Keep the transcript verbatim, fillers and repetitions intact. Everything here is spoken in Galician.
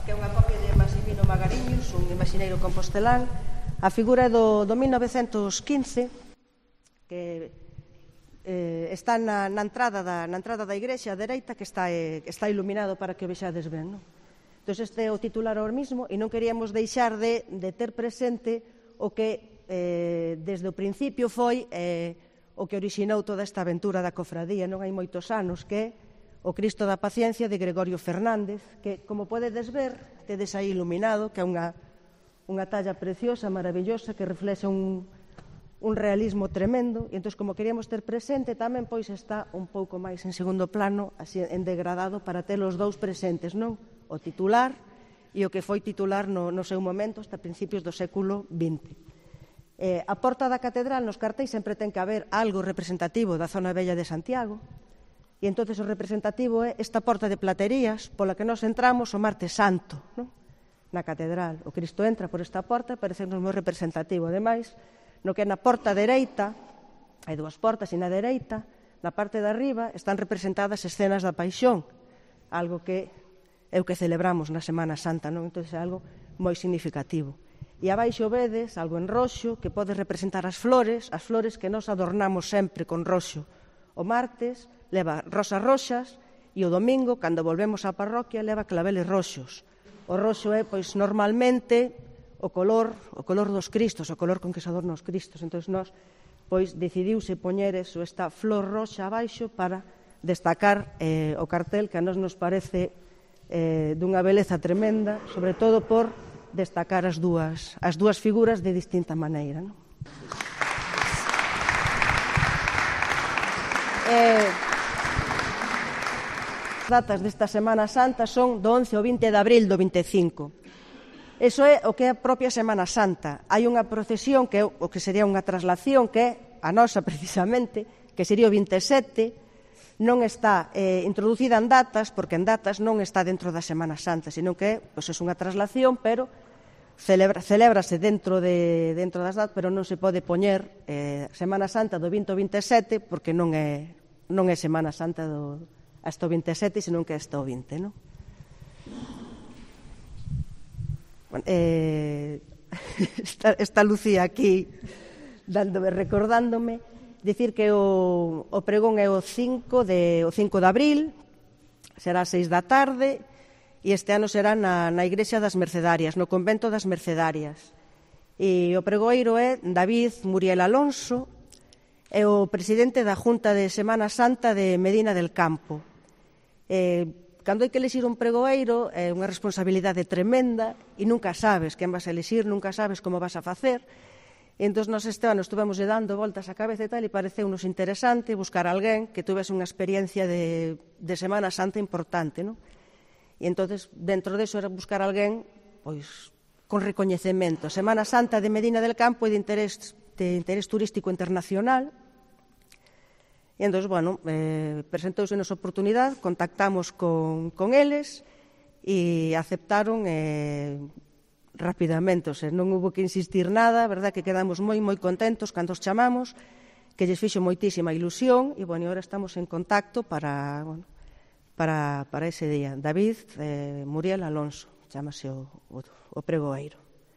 que é unha copia de Massimino Magariños, un imaxineiro compostelán. A figura é do, do mil novecentos quince, que eh, está na, na, entrada da, na entrada da igrexa a dereita, que está, eh, está iluminado para que o vexades ben, non? Entón, este é o titular ahora mismo, e non queríamos deixar de, de ter presente o que eh, desde o principio foi eh, o que orixinou toda esta aventura da cofradía, non hai moitos anos, que é o Cristo da Paciencia de Gregorio Fernández, que, como podedes ver, tedes aí iluminado, que é unha, unha talla preciosa, maravillosa, que reflexa un, un realismo tremendo, e entón, como queríamos ter presente, tamén pois está un pouco máis en segundo plano, así en degradado, para ter os dous presentes, non? O titular e o que foi titular no, no seu momento, hasta principios do século vinte. Eh, a porta da catedral, nos cartéis, sempre ten que haber algo representativo da zona vella de Santiago, e entón o representativo é esta porta de platerías pola que nos entramos o martes santo, non? Na catedral. O Cristo entra por esta porta, parece-nos moi representativo. Ademais, no que é na porta dereita, hai dúas portas, e na dereita, na parte de arriba, están representadas escenas da Paixón, algo que é o que celebramos na Semana Santa, non? Entón é algo moi significativo. E abaixo vedes algo en roxo que pode representar as flores, as flores que nos adornamos sempre con roxo. O martes leva rosas roxas e o domingo, cando volvemos á parroquia, leva claveles roxos. O roxo é, pois, normalmente o color, o color dos Cristos, o color con que se adornan os Cristos. Entón, nós, pois, decidiuse poñer eso, esta flor roxa abaixo para destacar eh, o cartel, que a nós nos parece eh, dunha beleza tremenda, sobre todo por destacar as dúas, as dúas figuras de distinta maneira, non? Eh, datas desta Semana Santa son do once ao vinte de abril do vinte e cinco. Eso é o que é a propia Semana Santa. Hai unha procesión que é o que sería unha traslación, que é a nosa precisamente, que sería o vinte e sete, non está eh, introducida en datas, porque en datas non está dentro da Semana Santa, sino que pois, é unha traslación, pero celebra, celébrase dentro, de, dentro das datas, pero non se pode poñer eh, Semana Santa do vinte ao vinte e sete, porque non é, non é Semana Santa do hasta o vinte e sete, senón que hasta o vinte, non? Bueno, eh, está, está Lucía aquí dándome, recordándome, dicir que o, o pregón é o cinco de, o cinco de abril, será a seis da tarde, e este ano será na, na Igrexa das Mercedarias, no Convento das Mercedarias. E o pregoeiro é David Muriel Alonso, é o presidente da Junta de Semana Santa de Medina del Campo. Eh, cando hai que elixir un pregoeiro é unha responsabilidade tremenda e nunca sabes quen vas a elixir, nunca sabes como vas a facer. E entón, nos este ano estuvemos dando voltas á cabeza e tal, e pareceu-nos interesante buscar alguén que tuvese unha experiencia de, de Semana Santa importante, non? E entón, dentro deso era buscar alguén pois, con recoñecemento. Semana Santa de Medina del Campo é de interés, de interés turístico internacional. E entón, bueno, eh, presentouse nosa oportunidade, contactamos con, con eles e aceptaron eh, rapidamente, o sea, non hubo que insistir nada, verdad que quedamos moi, moi contentos cando os chamamos, que lles fixo moitísima ilusión, e, bueno, agora estamos en contacto para, bueno, para, para ese día. David eh, Muriel Alonso, chamase o, o, o pregoeiro.